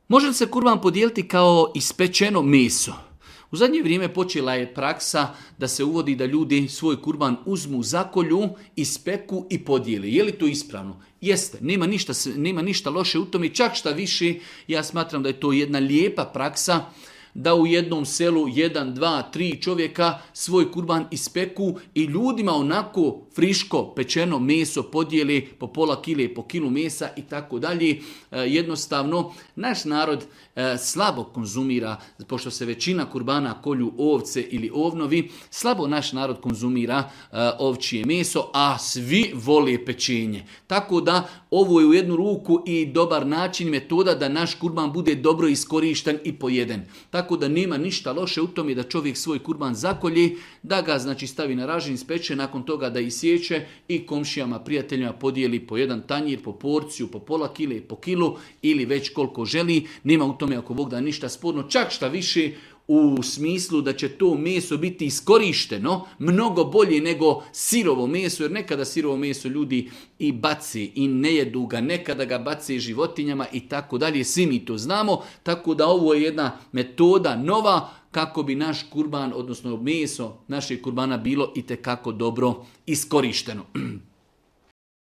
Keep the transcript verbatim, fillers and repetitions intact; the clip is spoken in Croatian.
Može li se kurban podijeliti kao ispečeno meso? U zadnje vrijeme počela je praksa da se uvodi da ljudi svoj kurban uzmu, zakolju, ispeku i podijeli. Je li to ispravno? Jeste, nema ništa, nema ništa loše u tome, čak šta više, ja smatram da je to jedna lijepa praksa, da u jednom selu jedan, dva, tri čovjeka svoj kurban ispeku i ljudima onako friško pečeno meso podijeli po pola kile, po kilu mesa i tako dalje. Jednostavno, naš narod slabo konzumira, pošto se većina kurbana kolju ovce ili ovnovi, slabo naš narod konzumira ovčije meso, a svi vole pečenje. Tako da ovo je u jednu ruku i dobar način, metoda da naš kurban bude dobro iskorišten i pojeden. Tako da nema ništa loše u tome da čovjek svoj kurban zakolji, da ga znači stavi na ražanj, ispeče, nakon toga da isječe i komšijama, prijateljima podijeli po jedan tanjir, po porciju, po pola kile, po kilu ili već koliko želi. Nema u tome ako Bog da ništa sporno, čak šta više u smislu da će to meso biti iskorišteno mnogo bolje nego sirovo meso, jer nekada sirovo meso ljudi i baci i ne jedu ga, nekada ga baci životinjama i tako dalje, svi mi to znamo, tako da ovo je jedna metoda nova kako bi naš kurban, odnosno meso našeg kurbana bilo itekako dobro iskorišteno.